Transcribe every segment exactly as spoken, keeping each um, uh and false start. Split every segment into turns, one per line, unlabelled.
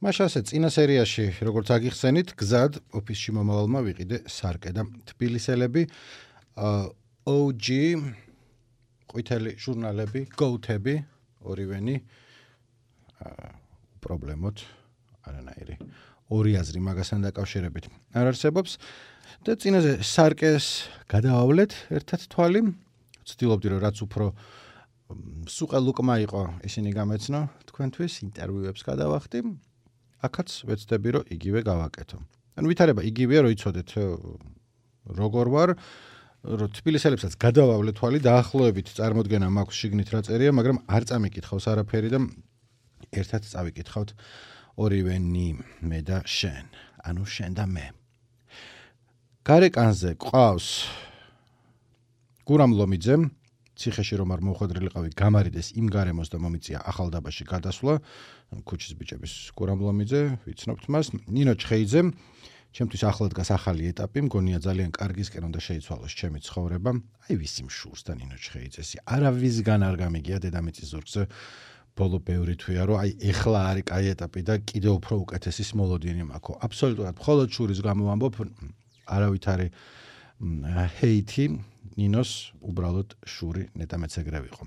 მაშასე წინა სერიაში, როგორც აგიხსენით, გზად ოფისში მომავალმა ვიყიდე სარკე და თბილისელები O G ყვითელი ჟურნალები, გოუთები, ორივენი პრობლემოთ არანაირი ორი აზრი მაგასთან დაკავშირებით არ არსებობს და წინაზე სარკეს გადავავლეთ ერთად თვალი, ვცდილობდი რომ რაც უფრო სუყელუკმა იყო ისინი გამეცნო თქვენთვის ინტერვიუებს გადავახდი, აქაც ვეცდები რომ იგივე გავაკეთო. ანუ ვითარება იგივეა, რომ იცოდეთ როგორ ვარ, რომ თბილისელებსაც გადავავლე თვალი, დაახლოებით წარმოდგენა მაქვს შიგნით რა წერია, მაგრამ არ წამიკითხავს არაფერი და ერთად წავიკითხავთ ორივენი მე და შენ, ანუ შენ და მე. გარეკანზე ყავს გურამ ლომიძე, ციხეში რომ არ მოხვედრილიყავი გამარიდეს იმ გარემოს და მომიწია ახალდაბაში გადასვლა, ქუჩის ბიჭების გურამ ლომიძე, ვიცნობთ მას, ნინო ჩხეიძე, ჩემთვის ახლად დგას ახალი ეტაპი, მგონია ძალიან კარგისკენ უნდა შეიცვალოს ჩემი ცხოვრება, აი ვისი მშურს და ნინო ჩხეიძესი, არავისგან არ გამიგია დედამიწის ზურგზე, ბოლო ბევრი თვია, რომ აი ეხლა არის კაი ეტაპი და კიდევ უფრო უკეთესი მოლოდინი მაქვს. აბსოლუტურად მხოლოდ შურის გამო ვამბობ, არავით არის ჰეითი, ნინოს უბრალოდ შური ნეტამეც ეგრე ვიყო.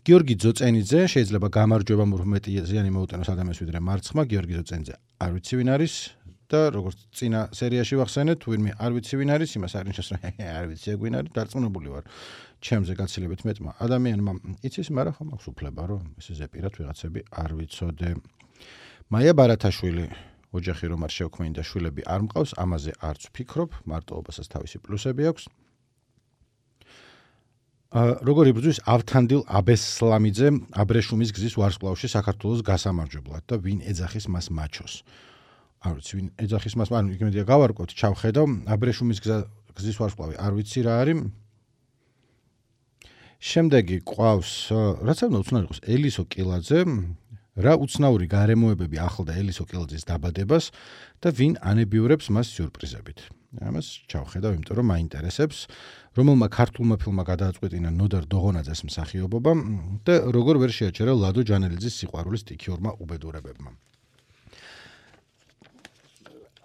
გიორგი ძოწენიძე, შეიძლება გამარჯვება მეტი ზიანი მოუტანოს ადამიანს ვიდრე მარცხმა, გიორგი ძოწენიძე არ ვიცი ვინ არის და როგორც წინა სერიაში ვახსენეთ, ვინმე არ ვიცი ვინ არის, იმას არ ნიშნავს, რომ არ ვიცი ეგ ვინ არის, დარწმუნებული ვარ. ჩემზე გაცილებით მეტმა ადამიანმა იცის, მაგრამ ხომ აქვს უფლება, რომ ესე ზეპირად ვიღაცები არ ვიცოდე. მაია ბარათაშვილი, ოჯახი რომ არ შევქმნი და შვილები არ მყავს, ამაზე არც ვფიქრობ, მარტოობასაც თავისი პლუსები აქვს. როგორ იბრძვის ავთანდილ აბესლამიძე აბრეშუმის გზის ვარსკვლავში საქართველოს გასამარჯვებლად და ვინ ეძახის მას მაჩოს. არ ვიცი ვინ ეძახის მას, ანუ იმედია გავარკვევთ, ჩავხედავ, აბრეშუმის გზის ვარსკვლავი არ ვიცი რა არის. შემდეგი ყავს, რაც უნდა უცნაური იყოს, ელისო კილაძე, რა უცნაური გარემოებები ახლდა ელისო კილაძის დაბადებას და ვინ ანებიურებს მას სიურპრიზებით. ამას ჩავხედავ, იმიტომ რომ მაინტერესებს, რომელმა ქართულმა ფილმმა გადააწყვეტინა ნოდარ დოღონაძეს მსახიობობა და როგორ ვერ შეაჩერა ლადო ჯანელიძის სიყვარულის სტიქიურმა უბედურებებმა.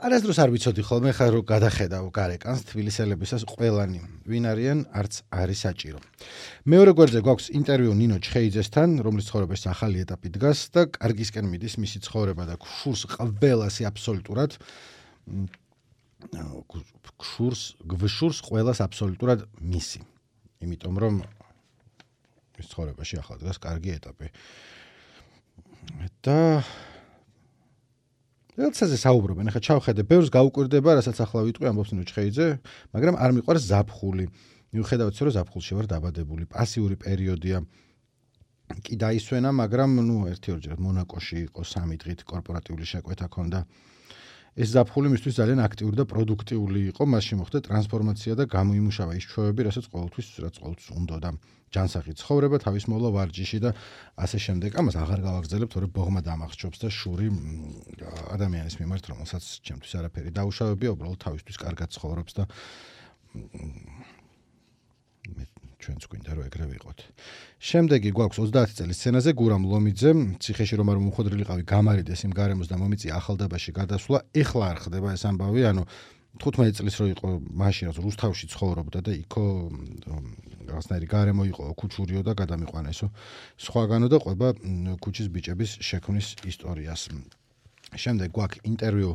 არასდროს არ ვიცოდი ხოლმე ხა რომ გადახედავ გარეკანს თბილისელებისას ყველანი ვინ არიან არც არის საჭირო. მეორე გვერდზე გვაქვს ინტერვიუ ნინო ჩხეიძესთან, რომლის ცხოვრებაში ახალი ეტაპი დგას და კარგისკენ მიდის მისი ცხოვრება და გშურს ყველასი აბსოლუტურად გშურს გვშურს ყველას აბსოლუტურად მისი. იმიტომ რომ მის ცხოვრებაში ახლა დგას კარგი ეტაპი. და როდესაც საუბრობენ, ახლა ჩავხედე, ბევრს გაუკვირდება, რასაც ახლა ვიტყვი, ამბობს ნინო ჩხეიძე, მაგრამ არ მიყვარს ზაფხული. მიუხედავად იმისა, რომ ზაფხულში ვარ დაბადებული, პასიური პერიოდია. კი დაისვენა, მაგრამ ნუ ერთი-ორჯერ მონაკოში იყო სამი დღით კორპორატიული შეკვეთა ქონდა. ეს ზაფხული მისთვის ძალიან აქტიური და პროდუქტიული იყო, მასში მოხდა ტრანსფორმაცია და გამოიმუშავა ის ჩვევები, რასაც ყოველთვის რაც ყოველთვის უნდა და ჯანსაღი ცხოვრება, თავის მოვლა ვარჯიში და ასე შემდეგ. ამას აღარ გავაგრძელებ, თორე ბოღმა დამახსჯობს და შური ადამიანის მიმართ, რომელსაც ჩემთვის არაფერი დაუშავებია, უბრალოდ თავისთვის კარგად ცხოვრობს და ჩვენც გვინდა რომ ეგრე ვიყოთ. შემდეგი გვაქვს ოცდაათი წელის სცენაზე გურამ ლომიძე, ციხეში რომ არ მომხვედრილიყავი გამარიდეს იმ გარემოს და მომიწია ახალდაბაში გადასვლა, ეხლა არ ხდება ეს ამბავი, ანუ თხუთმეტი წლის რო იყო მაშინ რაც რუსთავში ცხოვრობდა და იქო რაღაცნაირი გარემო იყო ქუჩურიო და გადამიყვანესო სხვაგანო და ყვება ქუჩის ბიჭების შექმნის ისტორიას. შემდეგ გვაქვს ინტერვიუ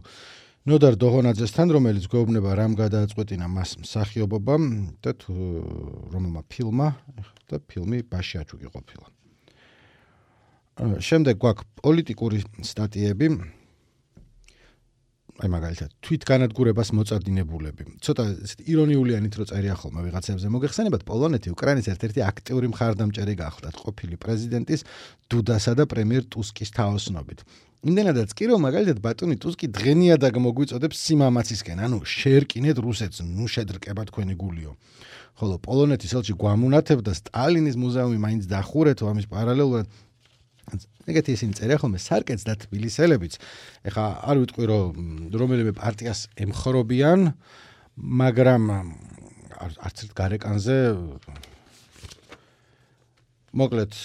ნოდარ დოღონაძესთან, რომელიც გვეუბნება რამ გადააწყვეტინა მას მსახიობობა და რომელმა ფილმმა და ფილმი ბაშიაჩუკი ყოფილა. შემდეგ გვაქვს პოლიტიკური სტატიები, აი მაგალითად თვითგანადგურებას მოწადინებულები. ცოტა ირონიულიანით რო წერია ხოლმე ვიღაცებზე მოგეხსენებათ, პოლონეთი უკრაინის ერთ-ერთი აქტიური მხარდამჭერი გახლდათ ყოფილი პრეზიდენტის დუდასა და პრემიერ ტუსკის თაოსნობით. იმდენადაც კი რომ მაგალითად ბატონი ტუსკი დღენიადაგ მოგვიწოდებს სიმამაცისკენ, ანუ შეერკინეთ რუსეთს, ნუ შედრკება თქვენი გულიო. ხოლო პოლონეთის ელჩი გვამუნათებდა სტალინის მუზეუმი მაინც დახურეთო, ამის პარალელურად ეგეთი ისინი წერია ხოლმე სარკეც და თბილისელებიც. ეხლა არ ვიტყვი რომ რომელიმე პარტიას ემხრობიან, მაგრამ არც ერთ გარეკანზე მოკლედ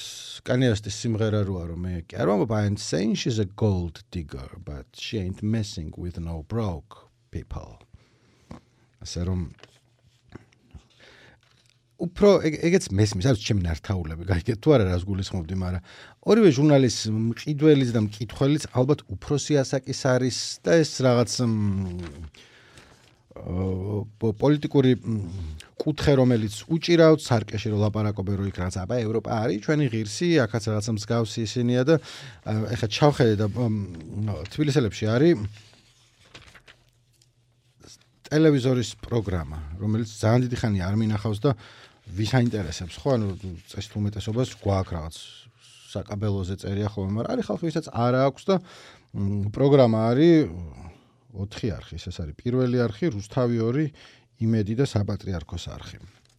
Kanye West-ის სიმღერა როა რომ მე კი არ ვამბობ I ain't saying she's a gold digger but she ain't messing with no broke people. ასე რომ უფრო ეგეც მესმის არის ჩემი ნართაულები გაიგეთ თუ არა რას გულისხმობდი მაგრამ ორივე ჟურნალის მყიდველიც და მკითხველიც ალბათ უფროსი ასაკის არის და ეს რაღაც პოლიტიკური კუთხე რომელიც უჭირავთ სარკეში რომ ლაპარაკობენ რომ იქ რაღაც აბა ევროპა არის ჩვენი ღირსი აქაც რაღაცა მსგავსი ისინია და ეხლა ჩავხედე და თბილისელებში არის ტელევიზორის პროგრამა რომელიც ძალიან დიდი ხანია არ მინახავს და ვის აინტერესებს ხო ანუ წესით უმეტესობას გვაქვს რაღაც საკაბელოზე წერია ხოლმე მაგრამ არის ხალხი ვისაც არ აქვს და პროგრამა არის ოთხი არხი ეს არის პირველი არხი რუსთავი ორი იმედი და საპატრიარქოს არხი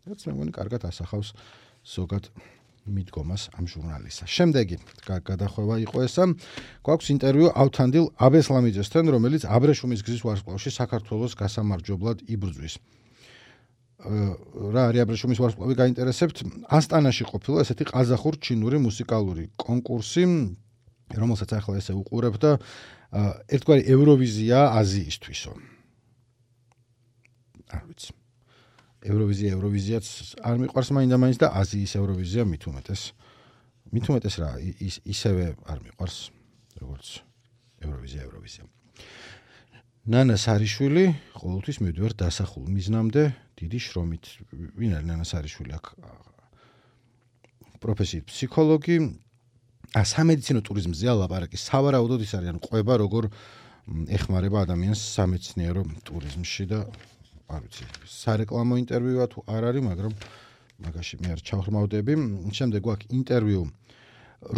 რაც მე მგონი კარგად ასახავს ზოგად მიდგომას ამ ჟურნალისა შემდეგი გადახვევა იყო ესა გვაქვს ინტერვიუ ავთანდილ აბესლამიძესთან რომელიც აბრეშუმის გზის ვარსკვლავში საქართველოს გასამარჯვებლად იბრძვის რა არის აბრეშუმის ვარსკვლავი გაინტერესებთ ასტანაში ყოფილა ესეთი ყაზახურ ჩინური მუსიკალური კონკურსი რომელსაც ახლა ესე უყურებ და ერთგვარი ევროვიზია აზიისთვისო არ ვიცი ევროვიზია ევროვიზიაც არ მიყვარს მაინდა-მაინც და აზიის ევროვიზია მით უმეტეს მით უმეტეს რა ისევე არ მიყვარს როგორც ევროვიზია ევროვიზია ნანა სარიშვილი ყოველთვის მივდივარ დასახულ მიზნამდე დიდი შრომით ვინ არის ნანა სარიშვილი აქ პროფესიით ფსიქოლოგი ა სამედიცინო ტურიზმზეა ლაპარაკი სავარაუდოდ ის არის ანუ ყვება როგორ ეხმარება ადამიანს სამეცნიერო ტურიზმში და არ ვიცი სარეკლამო ინტერვიუა თუ არ არის მაგრამ მაგაში მე არ ჩავხმავდები შემდეგ გვაქვს ინტერვიუ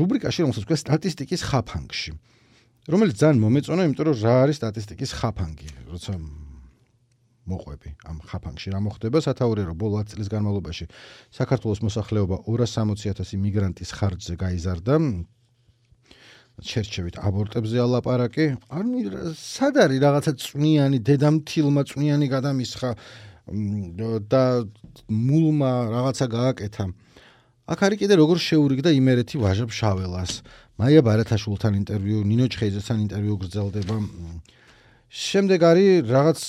რუბრიკაში რომელსაც ქვია სტატისტიკის ხაფანგში რომელიც ძალიან მომეწონა იმიტომ რომ რა არის სტატისტიკის ხაფანგი როცა მოყვები ამ ხაფანგში რა მოხდება სათაურია რომ ბოლო ათი წლის განმავლობაში საქართველოს მოსახლეობა ორას სამოცი ათასი მიგრანტის ხარჯზე გაიზარდა ჩერჩევით აბორტებზე ალაპარაკი ანუ სად არის რაღაცა წვნიანი დედამთილმა წვნიანი გადამისხა და მულმა რაღაცა გააკეთა აქ არის კიდე როგორ შეურიგდა იმერეთი ვაჟა ფშაველას მაია ბარათაშვილთან ინტერვიუ ნინო ჩხეიძესთან ინტერვიუ გრძელდება შემდეგ არის რაღაც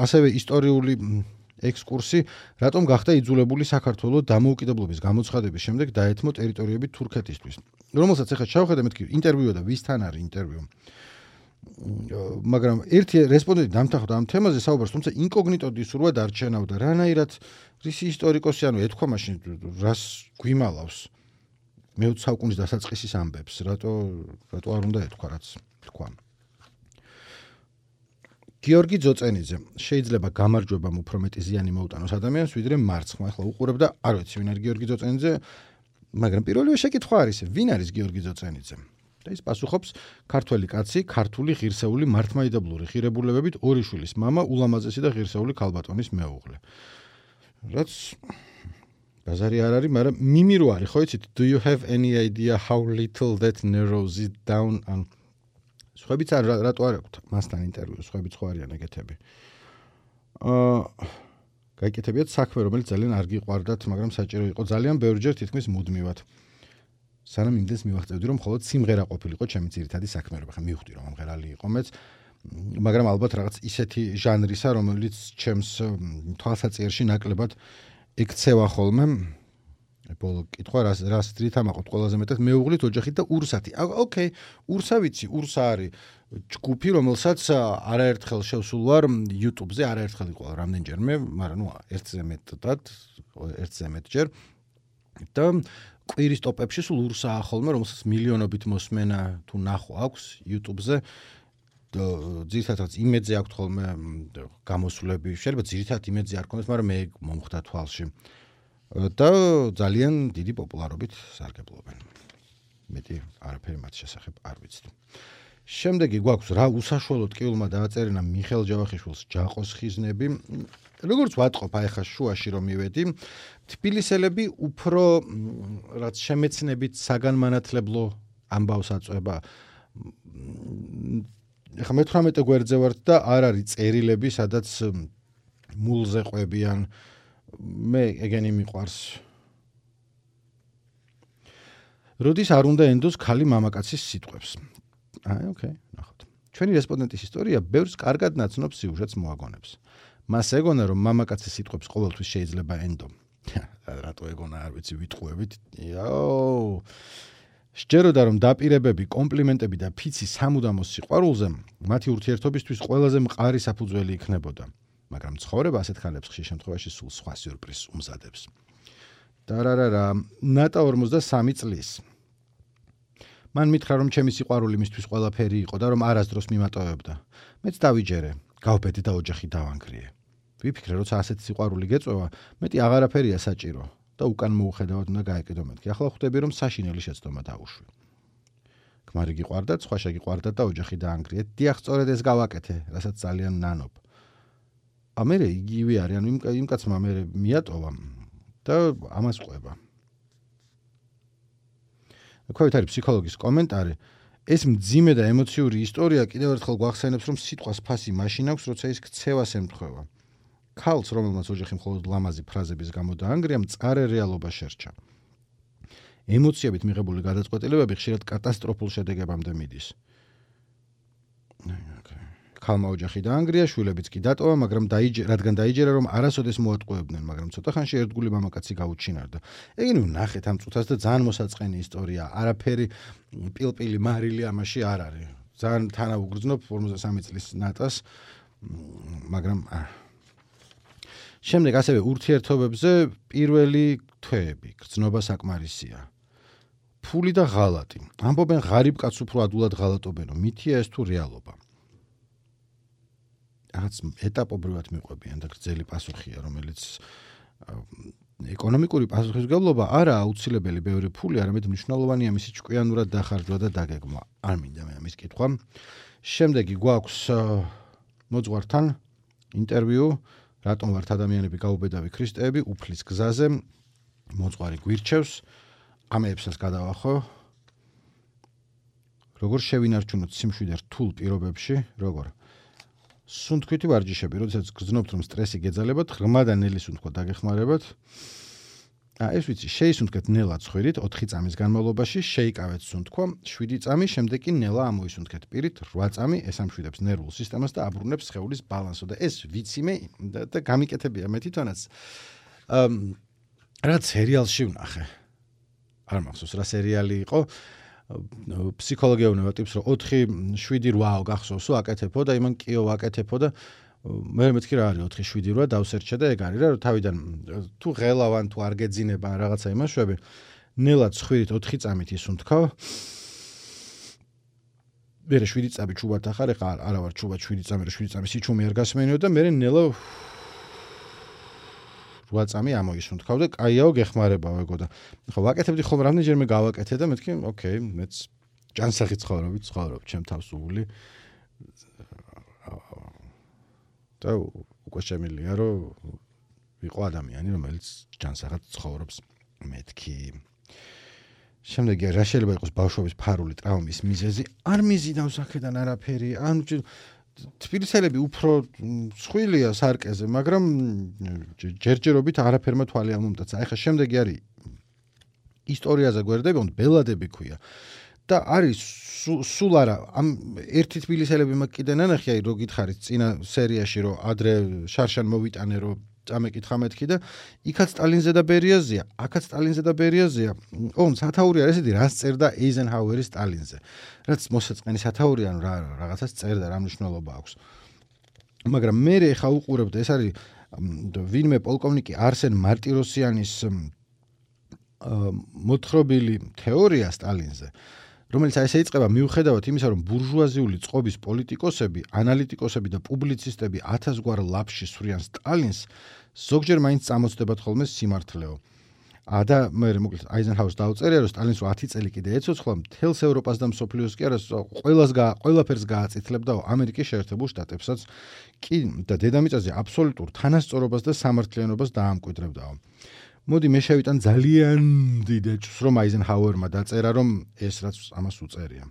ასევე ისტორიული ექსკურსი რატომ გახდა იძულებული საქართველოს დამოუკიდებლობის გამოცხადების შემდეგ დაეთმო ტერიტორიები თურქეთისთვის რომელსაც ახლა ჩავხედე მეთქი ინტერვიუ და ვისთან არის ინტერვიუ მაგრამ ერთი რესპონდენტი დამთანხმდა ამ თემაზე საუბარს თუმცა ინკოგნიტო დისურვა დარჩენავდა რანაირად რისი ისტორიკოსი ანუ ეთქვა მაშინ რას გვიმალავს მეოცე საუკუნის დასაწყისის ამბებს რატო რატო არ უნდა ეთქვა რაც თქვა გიორგი ძოწენიძე შეიძლება გამარჯვებამ უფრო მეტი ზიანი მოუტანოს ადამიანს ვიდრე მარცხმა ახლა უყურებ და არ ვიცი ვინ არის გიორგი ძოწენიძე მაგრამ პირველივე შეკითხვა არის ვინ არის გიორგი ძოწენიძე და ის პასუხობს ქართველი კაცი ქართული ღირსეული მართლმადიდებლური ღირებულებებით ორი შვილის მამა ულამაზესი და ღირსეული ქალბატონის მეუღლე რაც ბაზარი არ არის მაგრამ მიმირო არის ხო იცით do you have any idea how little that narrows it down on სხვებიც არ რატო არ აქვთ მასთან ინტერვიუ სხვებიც ხო არიან ეგეთები აა გაიკეთებიათ საქმე რომელიც ძალიან არ გიყვარდათ მაგრამ საჭირო იყო ძალიან ბევრჯერ თითქმის მუდმივად სანამ იმდენს მივახწევდი რომ მხოლოდ სიმღერა ყოფილიყო ჩემი ძირითადი საქმიანობა ხა მივხვდი რომ ამღერალი იყო მეც მაგრამ ალბათ რაღაც ისეთი ჟანრისა რომელიც ჩემს თვალსაჩინში ნაკლებად ექცევა ხოლმე ბოლო კითხვა რას რას დრითამაყოთ ყველაზე მეტად მეუღლით ოჯახით და ურსათი ოკეი ურსა ვიცი ურსა არის ჯგუფი რომელსაც არაერთხელ შევსულ ვარ YouTube-ზე არაერთხელ იყო რამდენჯერმე მაგრამ ნუ ერთზე მეტად ერთზე მეტჯერ და კვირის ტოპებში სულ ურსაა ხოლმე რომელსაც მილიონობით მოსმენა თუ ნახვა აქვს YouTube-ზე ძირითადად იმედზე აქვს ხოლმე გამოსვლები შეიძლება ძირითადად იმედზე არ ქონდეს მაგრამ მე მომხდა თვალში და ძალიან დიდი პოპულარობით სარგებლობენ. მეტი არაფერი მათ შესახებ არ ვიცით. შემდეგი გვაქვს რა უსაშუალოდ კიულმა დააწერინა მიხეილ ჯავახიშვილს ჯაყოს ხიზნები. როგორც ვატყობ აი ხა შუაში რომ მივედი, თბილისელები უფრო რაც შემეცნებით საგანმანათლებლო ამბავს აწვება. ხა მეთვრამეტე გვერდზე ვართ და არ არის წერილები, სადაც მულზე ყვებიან მე ეგენი მიყვარს როდის არ უნდა ენდოს ქალი მამაკაცის სიტყვებს. აი, ოკეი, ნახოთ. ჩვენი რესპონდენტის ისტორია ბევრს კარგად ნაცნობ სიუჟეტს მოაგონებს. მას ეგონა, რომ მამაკაცის სიტყვებს ყოველთვის შეიძლება ენდო. რატო ეგონა, არ ვიცი, ვიტყუებით. იაო. სჯეროდა, რომ დაპირებები, კომპლიმენტები და ფიცი სამუდამო სიყვარულზე მათი ურთიერთობისთვის ყველაზე მყარი საფუძველი იქნებოდა. მაგრამ ცხოვრება ასეთ ხალხებს ხშირ შემთხვევაში სულ სხვა სიურპრიზს უმზადებს. დარარარა, ნატა ორმოცდასამი წლის. მან მითხრა, რომ ჩემი სიყვარული მისთვის ყველაფერი იყო და რომ არასდროს მიმატოვებდა. მეც დავიჯერე, გავბედი და ოჯახი დავანგრიე. ვიფიქრე, როცა ასეთი სიყვარული გეწვევა, მეტი აღარაფერია საჭირო და უკან მოუხედავად უნდა გაეკიდო მეთქი. ახლა ხვდები, რომ საშინელი შეცდომა დაუშვი. ქმარი გიყვარდათ, სხვა შეგიყვარდათ და ოჯახი დაანგრიეთ. დიახ, სწორედ ეს გავაკეთე, რასაც ძალიან ნანობ. ა მე იგივე არის, ანუ იმ კაცმა მე მიატოვა და ამას ყვება. ქვევით არის ფსიქოლოგის კომენტარი. ეს მძიმე და ემოციური ისტორია კიდევ ერთხელ გვახსენებს, რომ სიტყვას ფასი მაშინ აქვს, როცა ის ქცევას ემთხვევა. ქალს, რომელმაც ოჯახი მხოლოდ ლამაზი ფრაზების გამო დაანგრია, მწარე რეალობა შერჩა. ემოციებით მიღებული გადაწყვეტილებები ხშირად კატასტროფულ შედეგებამდე მიდის. ქალმა ოჯახი დაანგრია, შვილებიც კი დატოვა, მაგრამ რადგან დაიჯერა, რომ არასოდეს მოატყუებდნენ, მაგრამ ცოტა ხანში ერთგული მამაკაცი გაუჩინარდა. ეგენი ნახეთ ამ წუთას და ძალიან მოსაწყენი ისტორია. არაფერი პილპილი მარილი ამაში არ არის. ძალიან თანაუგრძნობ ორმოცდასამი წლის ნატას, მაგრამ შემდეგ ასევე ურთიერთობებზე პირველი თვეები, გრძნობა საკმარისია. ფული და ღალატი. ამბობენ ღარიბ კაცს უფრო ადულად ღალატობენო, მითია ეს თუ რეალობა. რაღაც ეტაპობრივად მიყვებიან და გრძელი პასუხია, რომელიც ეკონომიკური პასუხისმგებლობა არა აუცილებელი ბევრი ფული, არამედ მნიშვნელოვანია მისი ჭკვიანურად დახარჯვა და დაგეგმვა. არ მინდა მე ამის კითხვა. შემდეგი გვაქვს მოძღვართან ინტერვიუ, რატომ ვართ ადამიანები გაუბედავი ქრისტეები, უფლის გზაზე, მოძღვარი გვირჩევს, ამეებსაც გადავახო. როგორ შევინარჩუნოთ სიმშვიდე რთულ პირობებში, როგორ სუნთქვითი ვარჯიშები, როდესაც გრძნობთ, რომ სტრესი გეძალებათ, ღრმა და ნელი სუნთქვა დაგეხმარებათ. აა ეს ვიცი, შეისუნთქეთ ნელა ცხვირით ოთხი წამის განმავლობაში, შეიკავეთ სუნთქვა, შვიდი წამი, შემდეგ კი ნელა ამოისუნთქეთ პირით, რვა წამი, ეს ამშვიდებს ნერვულ სისტემას და აბრუნებს სხეულის ბალანსს და ეს ვიცი მე და გამიკეთებია მე თვითონაც. აა რა სერიალში ვნახე. არ მახსოვს რა სერიალი იყო. ფსიქოლოგია უნება ტიპს, რომ ოთხი, შვიდი, რვაო გახსოვსო, აკეთებო და იმან კიო ვაკეთებო და მე მეთქი რა არის ოთხი, შვიდი, რვა დავსერჩე და ეგ არის რა, რომ თავიდან თუ ღელავან, თუ არ გეძინება რაღაცა იმაშვები, ნელა ცხვირით ოთხი წამით ისუნთქავ. მერე შვიდი წამი ჩუბად ახარ, ეხლა არა ვარ ჩუბად შვიდი წამი, რა შვიდი წამი სიჩუმე არ გასმენიო და მერე ნელა რვა წამი ამოისუნთქავ და კაიაო გეხმარებაო ეგო და ხო ვაკეთებდი ხოლმე რამდენჯერმე გავაკეთე და მეთქი, ოკეი, მეც ჯანსაღი ცხოვრობი, ცხოვრობ ჩემ თავს უული. და უკვე შემიძლია რომ ვიყო ადამიანი, რომელიც ჯანსაღად ცხოვრობს მეთქი. შემდეგი რა შეიძლება იყოს ბავშვობის ფარული ტრავმის მიზეზი? არ მიზიდავს აქედან არაფერი. ან თბილისელები უფრო სხვილია სარკეზე, მაგრამ ჯერჯერობით არაფერმა თვალი ამომტაცა. ეხლა შემდეგი არის ისტორიაზე გვერდები, ბელადები ქვია. და არის სულ არა ამ ერთი თბილისელები მაგ კიდე ნანახი, აი რო გითხარით წინა სერიაში რომ ადრე შარშან მოვიტანე რომ წამეკითხა მეთქი და იქაც სტალინზე და ბერიაზეა, აქაც სტალინზე და ბერიაზეა. ოღონდ სათაური არის ესეთი, რას წერდა ეიზენჰაუერი სტალინზე. რაც მოსაწყენი სათაური ანუ რა რაღაცას წერდა, რა მნიშვნელობა აქვს. მაგრამ მე ხა უყურებდა, ეს არის ვინმე პოლკოვნიკი არსენ მარტიროსიანის მოთხრობილი თეორია სტალინზე. რომელიც აი ესე იწყება მიუხედავად იმისა, რომ ბურჟუაზიული წყობის პოლიტიკოსები, ანალიტიკოსები და პუბლიცისტები ათასგვარ ლაფში სვრიან სტალინს, ზოგჯერ მაინც წამოწდებათ ხოლმე სიმართლეო. ა და მე მოკლედ აიზენჰაუერს დაუწერია, რომ სტალინს ათი წელი კიდე ეცოცხლა, მთელს ევროპას და მსოფლიოს კი არა, ყველას ყველაფერს გააწითლებდა ამერიკის შეერთებულ შტატებსაც კი და დედამიწაზე აბსოლუტურ თანასწორობას და სამართლიანობას დაამკვიდრებდაო. მოდი მე შევიტან ძალიან დიდ ეჭვს, რომ აიზენჰაუერმა დაწერა, რომ ეს რაც ამას უწერია.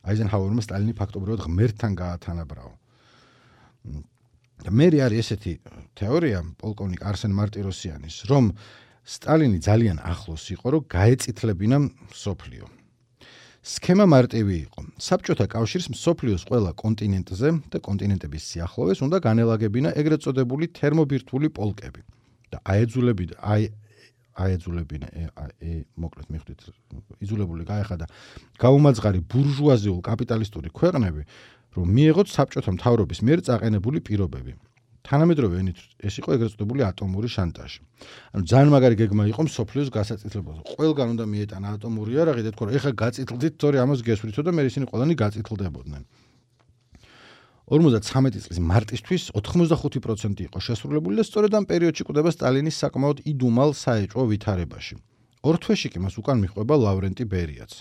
აიზენჰაუერმა სტალინი ფაქტობრივად ღმერთთან გაათანაბრაო. და მე არის ესეთი თეორია პოლკოვნიკ არსენ მარტიროსიანის, რომ სტალინი ძალიან ახლოს იყო, რომ გაეწითლებინა მსოფლიო. სქემა მარტივი იყო. საბჭოთა კავშირს მსოფლიოს ყველა კონტინენტზე და კონტინენტების სიახლოვეს უნდა განელაგებინა ეგრეთ წოდებული თერმობირთვული პოლკები და აეძულებინა აი აეძულებინა მოკლედ მიხვდით იძულებული გაეხადა გაუმაძღარი ბურჟუაზიულ კაპიტალისტური ქვეყნები, რომ მიეღოთ საბჭოთა მთავრობის მიერ წაყენებული პირობები. თანამედროვე ენით ეს იყო ეგრეთ წოდებული ატომური შანტაჟი. ანუ ძალიან მაგარი გეგმა იყო მსოფლიოს გასაწითლებაზე. ყველგან უნდა მიეტანა ატომური იარაღი და თქვა რომ ეხლა გაწითლდით, თორე ამას გესვრითო და მე ისინი ყველანი გაწითლდებოდნენ. ორმოცდათვრამეტი წლის მარტისთვის ოთხმოცდახუთი პროცენტი იყო შესრულებული და სწორედ ამ პერიოდში კვდება სტალინის საკმაოდ იდუმალ საეჭვო ვითარებაში. ორ თვეში კი მას უკან მიჰყვება ლავრენტი ბერიაც.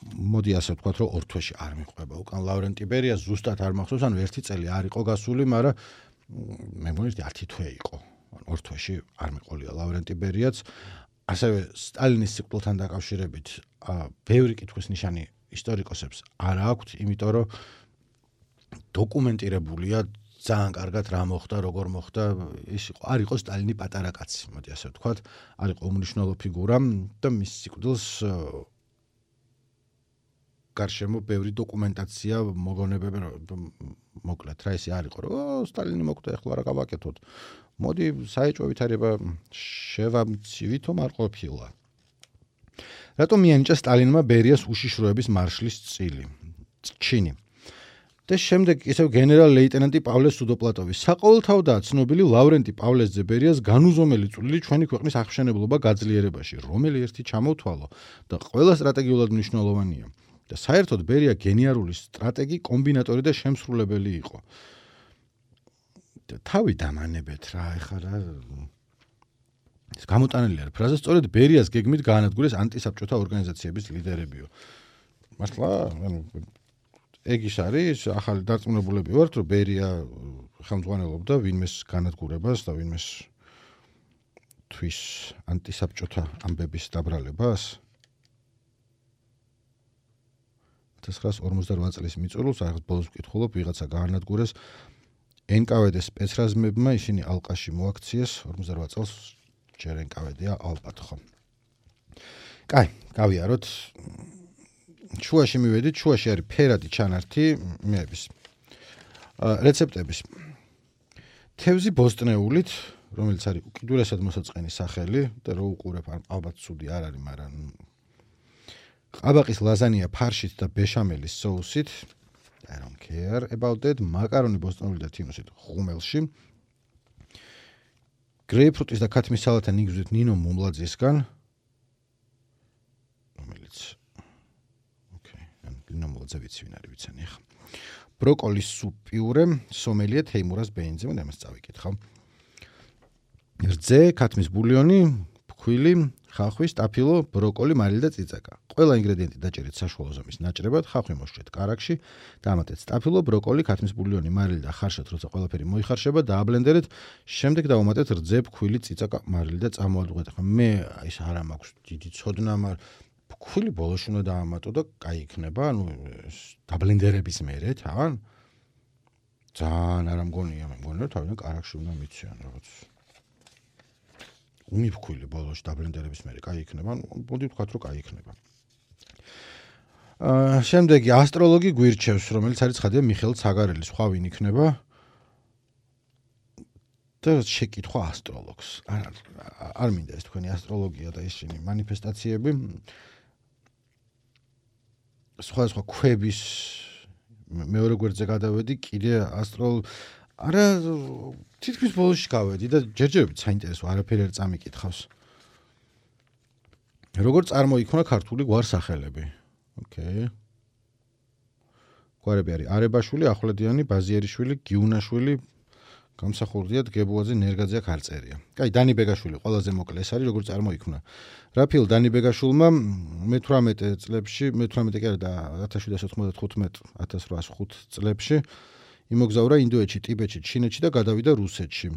მოდი ასე ვთქვათ, რომ ორ თვეში არ მიჰყვება უკან ლავრენტი ბერია, ზუსტად არ მახსოვს, ანუ ერთი წელი არ იყო გასული, მაგრამ მე მგონი ათი თვე იყო. ანუ ორ თვეში არ მიყოლია ლავრენტი ბერიაც. ასევე სტალინის სიკვდილთან დაკავშირებით ბევრი კითხვის ნიშანი ისტორიკოსებს არ აქვთ, იმიტომ რომ დოკუმენტირებულია ძალიან კარგად რა მოხდა, როგორ მოხდა, ის იყო არ იყო სტალინი პატარა კაცი, მოდი ასე ვთქვათ, არ იყო უმნიშვნელო ფიგურა და მის სიკვდილს გარშემო ბევრი დოკუმენტაცია მოგონებები მოკლედ რა ისე არ იყო რომ სტალინი მოკვდა ეხლა რა გავაკეთოთ. მოდი საეჭვო ვითარება შევამცივითო არ ყოფილა. რატომ მიანიჭა სტალინმა ბერიას უშიშროების მარშლის წილი? ჩინი. და შემდეგ ისევ გენერალ ლეიტენანტი პავლე სუდოპლატოვის საყოველთაოდაა ცნობილი ლავრენტი პავლეს ბერიას განუზომელი წვლილი ჩვენი ქვეყნის აღშენებლობა გაძლიერებაში, რომელი ერთი ჩამოვთვალო და ყველა სტრატეგიულად მნიშვნელოვანია. და საერთოდ ბერია გენიალური სტრატეგი, კომბინატორი და შემსრულებელი იყო. თავი დამანებეთ რა, ეხლა რა ეს გამოტანილი არის ფრაზა, სწორედ ბერიას გეგმით გაანადგურეს ანტისაბჭოთა ორგანიზაციების ლიდერებიო. მართლა, ანუ ეგ ის არის, ახალი დარწმუნებულები ვართ, რომ ბერია ხელმძღვანელობდა ვინმეს განადგურებას და ვინმეს თვის ანტისაბჭოთა ამბების დაბრალებას. ათას ცხრაასი ორმოცდარვა წლის მიწურულს, ახლა ბოლოს ვკითხულობ, ვიღაცა გაანადგურეს ენ კა ვე დე სპეცრაზმებმა, ისინი ალყაში მოაქციეს, ორმოცდარვა წელს ჯერ ენ კა ვე დე-ა ალბათ ხო. კაი, გავიაროთ. შუაში მივედით, შუაში არის ფერადი ჩანართი მეების. რეცეპტების. თევზი ბოსტნეულით, რომელიც არის უკიდურესად მოსაწყენი სახელი და რო უყურებ, ალბათ ცუდი არ არის, მაგრამ ყაბაყის ლაზანია ფარშით და ბეშამელის соусით. I don't care about that. მაკარონი ბოსტნეული და თინუსით ხუმელში. გრეიპფრუტის და ქათმის სალათა ნიგზით ნინო მუმლაძისგან. რომელიც ოკეი, ნინო მუმლაძე ვიცი ვინ არის, ვიცანი ახლა. ბროკოლის სუპ პიურე, სომელია თეიმურას ბენძი, მე ამას წავიკითხავ. რძე, ქათმის ბულიონი, ფქვილი, ხახვი, სტაფილო, ბროკოლი, მარილი და წიწაკა. ყველა ინგრედიენტი დაჭერეთ საშუალო ზომის ნაჭრებად, ხახვი მოშრეთ კარაქში, დამატეთ სტაფილო, ბროკოლი, ქათმის ბულიონი, მარილი და ხარშად, როცა ყველაფერი მოიხარშება, დააბლენდერეთ, შემდეგ დავუმატეთ რძე, ფქვილი, წიწაკა, მარილი და წამოადგეთ. მე ის არ მაქვს დიდი ცოდნა, მაგრამ ფქვილი ბოლოში უნდა დაამატო და კაი იქნება, ანუ დაბლენდერების მერე, თან? ძალიან არ მგონია, მე მგონია, თავიდან კარაქში უნდა მიციან რაღაც. უმიფქვილი ბოლოში დაბლენდერების მერე კაი იქნება, მოდი ვთქვათ, რომ კაი იქნება. აა შემდეგი ასტროლოგი გვირჩევს, რომელიც არის ცხადია მიხეილ ცაგარელი, სხვა ვინ იქნება? და შეკითხვა ასტროლოგს. არ არ მინდა ეს თქვენი ასტროლოგია და ისინი მანიფესტაციები. სხვა სხვა ქვების მეორე გვერდზე გადავედი, კიდე ასტროლ არა თითქმის ბოლოში გავედი და ჯერჯერობით საინტერესო არაფერი არ წამიკითხავს. როგორ წარმოიქმნა ქართული გვარსახელები? ოკეი. გვარები არის არებაშვილი, ახვლედიანი, ბაზიერიშვილი, გიუნაშვილი, გამსახურდია, დგებუაძე, ნერგაძე, ქარწერია. კაი, დანი ბეგაშვილი ყველაზე მოკლე ეს არის, როგორ წარმოიქმნა. რაფილ დანი ბეგაშვილმა მეთვრამეტე წლებში, მეთვრამეტე კი არა და ათას შვიდსათ ოცდათხუთმეტ ათას რვაასი ხუთი წლებში იმოგზაურა ინდოეთში, ტიბეტში, ჩინეთში და გადავიდა რუსეთში.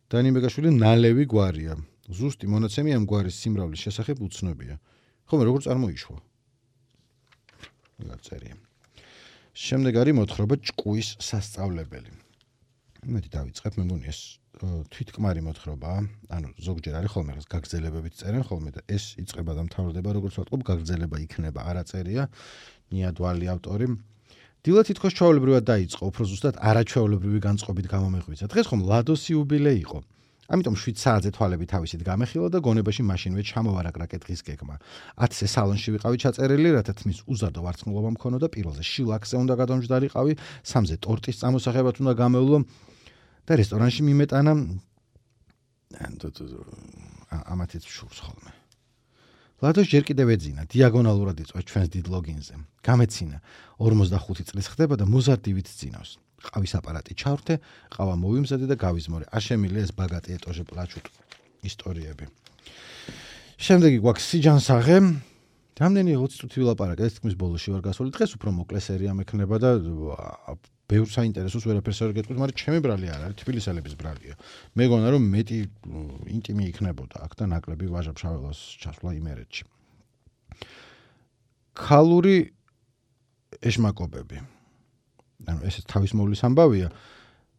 დანი ბეგაშვილი ნალევი გვარია. ზუსტი მონაცემი ამ გვარის სიმრავლის შესახებ უცნობია. ხომ როგორ წარმოიშვა? გაწერია. შემდეგ არის მოთხრობა ჭკუის სასწავლებელი. მეტი დავიწყებ, მე მგონი ეს თვითკმარი მოთხრობაა, ანუ ზოგჯერ არის ხოლმე რაღაც გაგრძელებებით წერენ ხოლმე და ეს იწყება და მთავრდება როგორც ვატყობ, გაგრძელება იქნება, არა წერია, ნიადვალი ავტორი. დილა თითქოს ჩვეულებრივად დაიწყო, უფრო ზუსტად არაჩვეულებრივი განწყობით გამომეღვიძა. დღეს ხომ ლადოს იუბილეი იყო. ამიტომ შვიდ საათზე თვალები თავისით გამეხილა და გონებაში მაშინვე ჩამოვარაგრა კეთხის გეგმა. ათზე სალონში ვიყავი ჩაწერილი, რათა თმის უზადო ვარცხნილობა მქონოდა, პირველზე შილაკზე უნდა გადამჯდარიყავი, სამზე ტორტის წამოსახებად უნდა გამევლო და რესტორანში მიმეტანა ამათიც შურს ხოლმე. ლადოს ჯერ კიდევ ეძინა, დიაგონალურად იწვა ჩვენს დიდ ლოგინზე. გამეცინა, ორმოცდახუთი წლის ხდება და მოზარდივით ძინავს. ყავის აპარატი ჩავრთე, ყავა მოვიმზადე და გავიზმორე. აშემილი ეს ბაგატი ეტოჟე პლაჩუტ ისტორიები. შემდეგი გვაქვს სიჯანსაღე. რამდენი ოცი წუთი ვილაპარაკე, ეს თქმის ბოლოში ვარ გასული. დღეს უფრო მოკლე სერია მექნება და ბევრ საინტერესოს ვერაფერს არ გეტყვით, მაგრამ ჩემი ბრალი არ არის, თბილისელების ბრალია. მეგონა რომ მეტი ინტიმი იქნებოდა აქ და ნაკლები ვაჟა-ფშაველას ჩასვლა იმერეთში. ქალური ეშმაკობები. ანუ ეს თავის მოვლის ამბავია.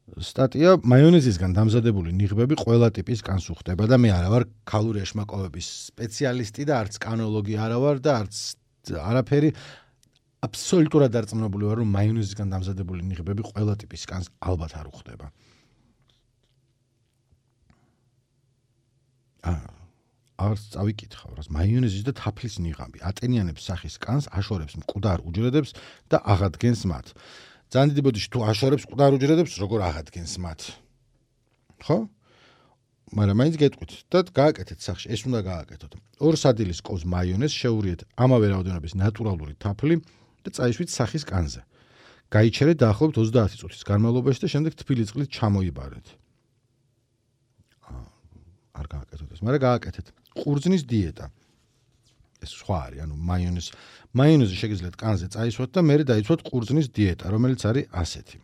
სტატია მაიონეზისგან დამზადებული ნიღბები ყველა ტიპის კანს უხდება და მე არა ვარ ქალური ეშმაკობების სპეციალისტი და არც კანოლოგი არა ვარ და არც არაფერი აბსოლუტურად დარწმუნებული ვარ რომ მაიონეზისგან დამზადებული ნიღბები ყველა ტიპის კანს ალბათ არ უხდება. არც წავიკითხავ, რას მაიონეზის და თაფლის ნიღაბი ატენიანებს სახის კანს, აშორებს მკვდარ უჯრედებს და აღადგენს მათ. ძალიან დიდი ბოდიში თუ აშორებს მკვდარ უჯრედებს, როგორ აღადგენს მათ. ხო? მაგრამ მაინც გეტყვით და გააკეთეთ სახში, ეს უნდა გააკეთოთ. ორ სადილის ყოვს მაიონეზს შეურიეთ ამავე რაოდენობის ნატურალური თაფლი და წაიშვით სახის კანზე. გაიჩერეთ დაახლოებით ოცდაათი წუთის განმავლობაში და შემდეგ თბილი წყლით ჩამოიბარეთ. არ გააკეთოთ ეს, მაგრამ გააკეთეთ. ყურძნის დიეტა. ეს სხვა არის, ანუ მაიონეზ მაიონეზი შეგიძლიათ კანზე წაისვათ და მერე დაიცვათ ყურძნის დიეტა, რომელიც არის ასეთი.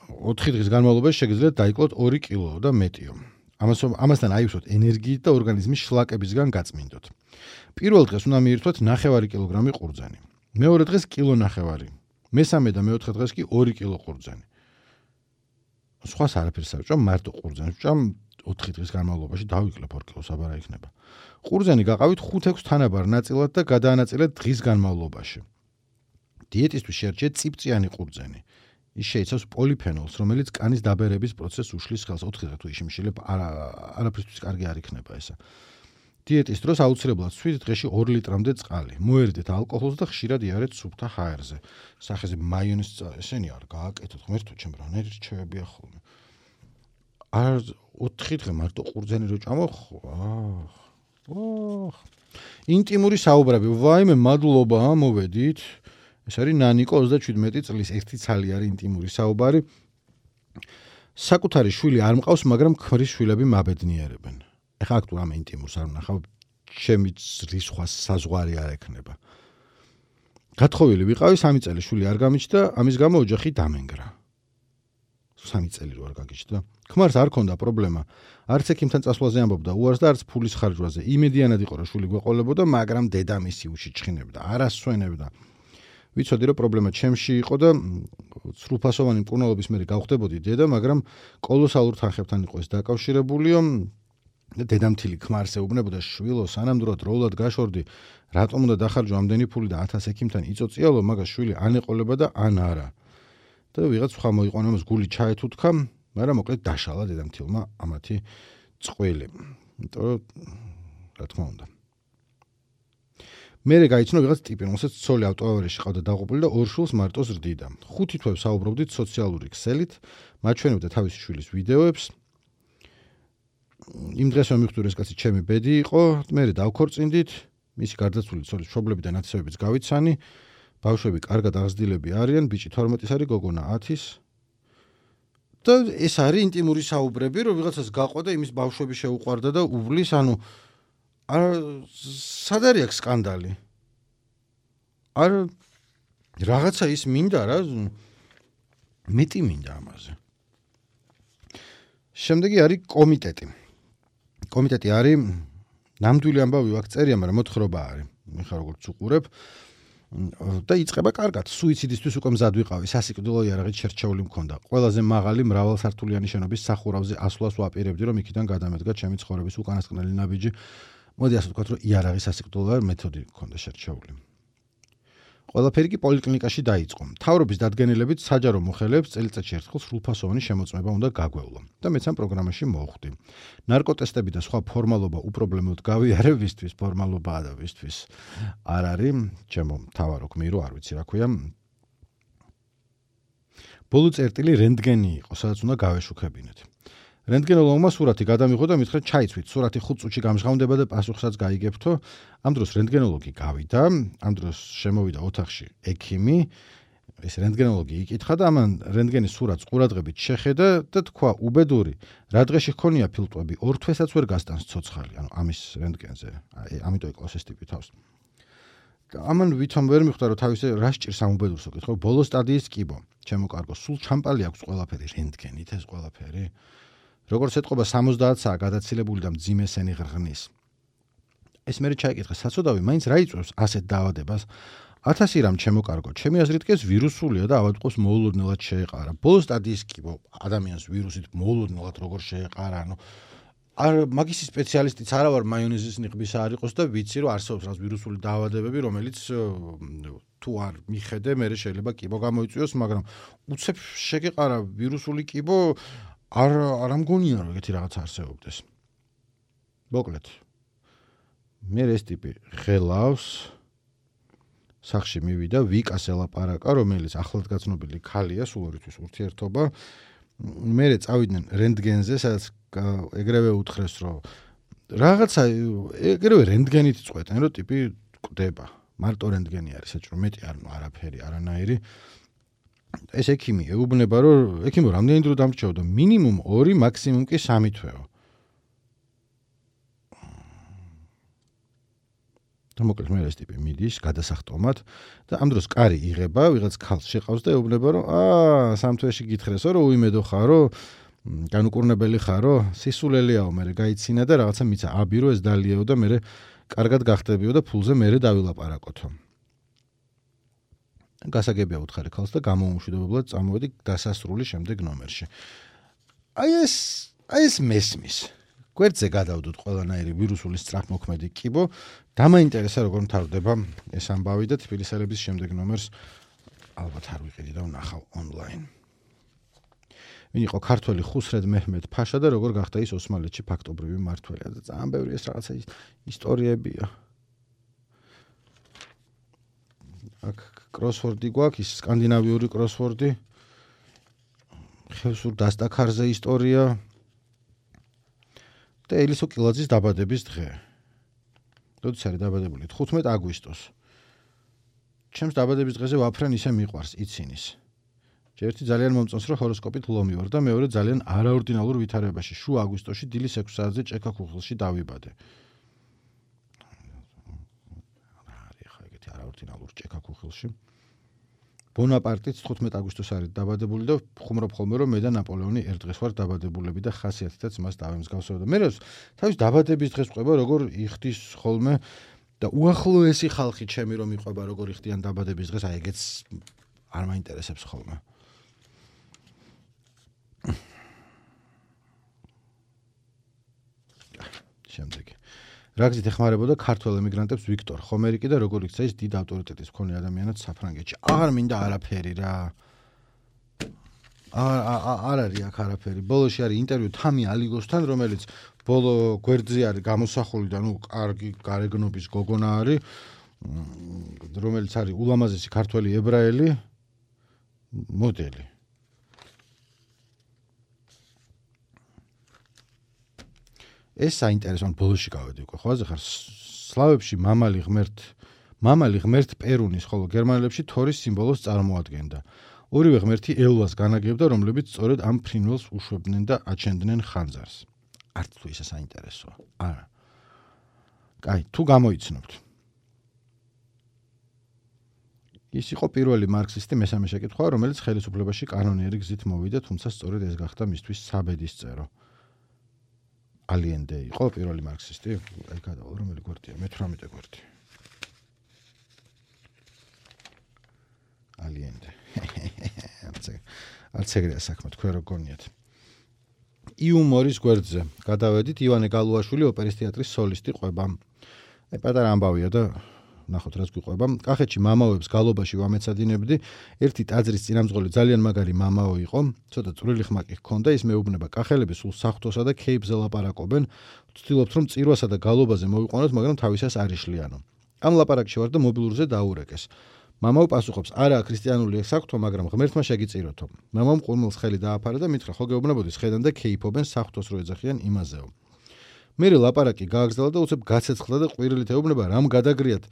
ოთხი დღის განმავლობაში შეგიძლიათ დაიკლოთ ორი კილო და მეტიო. ამას ამასთან აივსოთ ენერგიით და ორგანიზმის შლაკებისგან გაწმინდოთ. პირველ დღეს უნდა მიირთვათ ნახევარი კილოგრამი ყურძენი. მეორე დღეს კილო ნახევარი. მესამე და მეოთხე დღეს კი ორი კილო ყურძენი. სხვას არაფერს არ ვჭამ, მარტო ყურძენს ვჭამ ოთხი დღის განმავლობაში დავიკლებ ორ კილოს აბარა იქნება. ყურძენი გაყავით ხუთ-ექვს თანაბარ ნაწილად და გადაანაწილეთ დღის განმავლობაში. დიეტისთვის შეარჩიეთ წიფწიანი ყურძენი. ის შეიცავს პოლიფენოლს, რომელიც კანის დაბერების პროცესს უშლის ხელს. ოთხი დღე თუ იშიმშილებ, არა არაფრისთვის კარგი არ იქნება ესა. დიეტის დროს აუცილებლად შვიდ დღეში ორ ლიტრამდე წყალი. მოერიდეთ ალკოჰოლს და ხშირად იარეთ სუფთა ჰაერზე. სახეზე მაიონეზს ესენი არ გააკეთოთ, ღმერთო ჩემ რა ნერი რჩევებია ხოლმე. არ ოთხი დღე მარტო ყურძენი რო ჭამო, აჰ. ოჰ. ინტიმური საუბრები. ვაიმე, მადლობა, მოვედით. ეს არის ნანიკო ოცდაშვიდმეტი წლის ერთი ცალი არის ინტიმური საუბარი. საკუთარი შვილი არ მყავს, მაგრამ ქმრის შვილები მაბედნიერებენ. ეხლა აქ თუ ამ ინტიმურს არ ვნახავ, ჩემი რისხვა საზღვარი არ ექნება. გათხოვილი ვიყავი, სამი წელი შვილი არ გამიჩნდა, ამის გამო ოჯახი დამენგრა. სამი წელი რო არ გაგიჩნდა. ქმარს არ ქონდა პრობლემა. არც ექიმთან წასვლაზე ამბობდა უარს და არც ფულის ხარჯვაზე. იმედიანად იყო, რომ შვილი გვეყოლებოდა, მაგრამ დედამისი უშიჩხინებდა, არ ასვენებდა. ვიცოდი, რომ პრობლემა ჩემში იყო და სრულფასოვანი მკურნალობის მერე გავხდებოდი დედა, მაგრამ კოლოსალურ თანხებთან იყო ეს დაკავშირებულიო. დედამთილი ქმარს ეუბნებოდა, შვილო, სანამ დრო დროულად გაშორდი, რატომ უნდა დახარჯო ამდენი ფული და ათას ექიმთან იწოწიალო, მაგას შვილი ან ეყოლება და ან არა. და ვიღაც სხვა მოიყვანა, მას გული ჩაეთუთქა, მაგრამ მოკლედ დაშალა დედამთილმა ამათი წყვილი. იმიტომ რომ რა თქმა უნდა. მერე გაიცნო ვიღაც ტიპი, რომელსაც ცოლი ავტოავარიაში ყავდა დაღუპული და ორ შვილს მარტოს რდიდა. ხუთი თვე საუბრობდით სოციალური ქსელით, მაჩვენებდა თავისი შვილის ვიდეოებს. იმ დღეს მომიხვდი, ეს კაცი ჩემი ბედი იყო, მერე დავქორწინდით, მისი გარდაცვლილი ცოლის მშობლები და ნათესავებიც გავიცანი. ბავშვები კარგად აღზრდილები არიან, ბიჭი თორმეტის არის, გოგონა ათის. და ეს არის ინტიმური საუბრები, რომ ვიღაცას გაყვა და იმის ბავშვები შეუყვარდა და უვლის, ანუ არ სად არის აქ სკანდალი? არ რაღაცა ის მინდა რა, მეტი მინდა ამაზე. შემდეგი არის კომიტეტი. კომიტეტი არის ნამდვილი ამბავი ვაქ წერია, მაგრამ მოთხრობა არის. მე ხარ როგორც უყურებ. და იწყება კარგად. სუიციდისთვის უკვე მზად ვიყავი, სასიკვდილო იარაღით შერჩეული მქონდა. ყველაზე მაღალი მრავალსართულიანი შენობის სახურავზე ასვლას ვაპირებდი, რომ იქიდან გადამედგა ჩემი ცხოვრების უკანასკნელი ნაბიჯი. მოდი ასე ვთქვათ, რომ იარაღის სასიკვდილო მეთოდი მქონდა შერჩეული. ყველაფერი კი პოლიკლინიკაში დაიწყო. მთავრობის დადგენილებით საჯარო მოხელეებს წელიწადში ერთხელ სრულფასოვანი შემოწმება უნდა გაგვევლო და მეც ამ პროგრამაში მოვხვდი. ნარკოტესტები და სხვა ფორმალობა უპრობლემოდ გავიარებისთვის, ფორმალობაა და ვისთვის არ არის, ჩემო მთავარო გმირო, არ ვიცი რა ქვია. ბოლო წერტილი რენტგენი იყო, სადაც უნდა გავეშუქებინეთ. რენტგენოლოგმა სურათი გადამიღო და მითხრა ჩაიცვით, სურათი ხუთ წუთში გამჟღავნდება და პასუხსაც გაიგებთო. ამ დროს რენტგენოლოგი გავიდა, ამ დროს შემოვიდა ოთახში ექიმი, ეს რენტგენოლოგი იკითხა და ამან რენტგენის სურათს ყურადღებით შეხედა და თქვა უბედური, რა დღეში ჰქონია ფილტვები, ორ თვესაც ვერ გასტანს ცოცხალი, ანუ ამის რენტგენზე, ამიტომ იკლავს ეს ტიპი თავს. ამან ვითომ ვერ მიხვდა, რომ თავის რა სჭირს ამ უბედურს უკითხო, ბოლო სტადიის კიბო, ჩემო კარგო, სულ ჩამპალი აქვს ყველაფერი, რენტგენით ეს ყველაფერი. როგორც ეთყობა სამოცდაათ საათი გადაცილებული და მძიმე სენი ღრღნის. ეს მერე ჩაიკითხა საწოდავი, მაინც რა იწვევს ასეთ დაავადებას? ათასი რამ ჩემო კარგო, ჩემი აზრით კი ეს ვირუსულია და ავადმყოფს მოულოდნელად შეეყარა. ბოლო სტადიის კიბო, ადამიანს ვირუსით მოულოდნელად როგორ შეეყარა, ანუ არ მაგისი სპეციალისტიც არა ვარ, მაიონეზის ნიღბისა არ იყოს და ვიცი, რომ არსებობს რაღაც ვირუსული დაავადებები, რომელიც თუ არ მიხედე, მერე შეიძლება კიბო გამოიწვიოს, მაგრამ უცებ შეგეყარა ვირუსული კიბო არ არ ამგონია რომ ეგეთი რაღაც არსებობდეს. მოკლედ. მე ეს ტიპი ღელავს სახში მივიდა ვიკას ელაპარაკა, რომელიც ახლადგაცნობილი ქალია, სულ ორისთვის ურთიერთობა. მე წავიდნენ რენტგენზე, სადაც ეგრევე უთხრეს, რომ რაღაცა ეგრევე რენტგენით წყვეტენ, რომ ტიპი კვდება. მარტო რენტგენი არის საჭირო, მეტი არ არაფერი, არანაირი. ეს ექიმი ეუბნება, რომ ექიმო რამდენი დრო დამრჩეოდა? მინიმუმ ორი, მაქსიმუმ კი სამი თვეო. და მოკლედ მე ეს ტიპი მიდის გადასახტომად და ამ დროს კარი იღება, ვიღაც ქალს შეყავს და ეუბნება, რომ აა სამ თვეში გითხრესო, რომ უიმედო ხარო, განუკურნებელი ხარო, სისულელიაო, მე გაიცინა და რაღაცა მიცა აბირო ეს დალიეო და მე კარგად გახდებიო და ფულზე მე დავილაპარაკოთო. გასაგებია უთხარი ქალს და გამოუმშვიდობებლად წამოვედი დასასრული შემდეგ ნომერში. აი ეს, აი ეს მესმის. გვერდზე გადავდოთ ყველანაირი ვირუსული სწრაფმოქმედი კიბო, დამაინტერესა როგორ მთავრდება ეს ამბავი და თბილისელების შემდეგ ნომერს ალბათ არ ვიყიდი და ვნახავ ონლაინ. ვინ იყო ქართველი ხუსრედ მეჰმედ ფაშა და როგორ გახდა ის ოსმალეთში ფაქტობრივი მმართველია და ძალიან ბევრი ეს რაღაცა ისტორიებია. აქ კროსვორდი გვაქვს, ის სკანდინავიური კროსვორდი. ხევსურ დასტაქარზე ისტორია. და ელისო კილაძის დაბადების დღე. როდის არის დაბადებული? თხუთმეტ აგვისტოს. ჩემს დაბადების დღეზე ვაფრენ ისე მიყვარს იცინის. ერთი ძალიან მომწონს, რომ ჰოროსკოპით ლომი ვარ და მეორე ძალიან არაორდინალურ ვითარებაში. შუა აგვისტოში დილის ექვსი საათზე ჭექაქუხილში დავიბადე. არაორდინალურ ჭექაქუხილში. ბონაპარტიც თხუთმეტ აგვისტოს არის დაბადებული და ხუმრობ ხოლმე რომ მე და ნაპოლეონი ერთ დღეს ვარ დაბადებულები და ხასიათითაც მას დავემსგავსებდა. მე თავის დაბადების დღეს ყვება როგორ იხდის ხოლმე და უახლოესი ხალხი ჩემი რომ იყვება როგორ იხდიან დაბადების დღეს, აი ეგეც არ მაინტერესებს ხოლმე. შემდეგი რა გზით ეხმარებოდა ქართველ ემიგრანტებს ვიქტორ ხომერიკი და როგორ იქცა ის დიდ ავტორიტეტის მქონე ადამიანად საფრანგეთში. არ მინდა არაფერი რა. არ არ არის აქ არაფერი. ბოლოში არის ინტერვიუ თამი ალიგოსთან, რომელიც ბოლო გვერდზე არის გამოსახული და ნუ კარგი გარეგნობის გოგონა არის, რომელიც არის ულამაზესი ქართველი ებრაელი მოდელი. ეს საინტერესო ბოლოში გავედი უკვე. ხო, ახლა სლავებში მამალი ღმერთ, მამალი ღმერთ პერუნის, ხოლო გერმანელებში თორის სიმბოლოს წარმოადგენდა. ორივე ღმერთი ელვას განაგებდა, რომლებიც სწორედ ამ ფრინველს უშვებდნენ და აჩენდნენ ხანძარს. არც თუ ისე საინტერესოა. არა. კაი, თუ გამოიცნობთ. ის იყო პირველი მარქსისტი მესამე შეკითხვა, რომელიც ხელისუფლებაში კანონიერი გზით მოვიდა, თუმცა სწორედ ეს გახდა მისთვის საბედისწერო. ალიენდე იყო პირველი მარქსისტი? აი გადავალ, რომელი გვერდია? მეთვრამეტე გვერდი. კლიენტი. არც ეგრეა საქმე, თქვენ რო გონიათ. იუმორის გვერდზე გადავედით. ივანე გალუაშვილი ოპერის თეატრის სოლისტი ყვება. აი პატარა ამბავია და ნახოთ რაც გვიყვება. კახეთში მამაოებს გალობაში ვამეცადინებდი. ერთი ტაძრის წინამძღოლი ძალიან მაგარი მამაო იყო. ცოტა წვრილი ხმაკი ჰქონდა, ის მეუბნება კახელები სულ საღვთოსა და ქეიფზე ლაპარაკობენ. ვცდილობთ რომ წირვასა და გალობაზე მოვიყვანოთ, მაგრამ თავისას არ იშლიანო. ამ ლაპარაკში ვარ და მობილურზე დაურეკეს. მამაო პასუხობს: "არაა ქრისტიანული საღვთო, მაგრამ ღმერთმა შეგიწიროთო." მამამ ყურმელს ხელი დააფარა და მითხრა: "ხო გეუბნებოდი, სხედან და ქეიფობენ საღვთოს რო ეძახიან იმაზეო." მერე ლაპარაკი გააგრძელა და უცებ გაცეცხლდა და ყვირილით ეუბნება: "რამ გადაგრიათ?"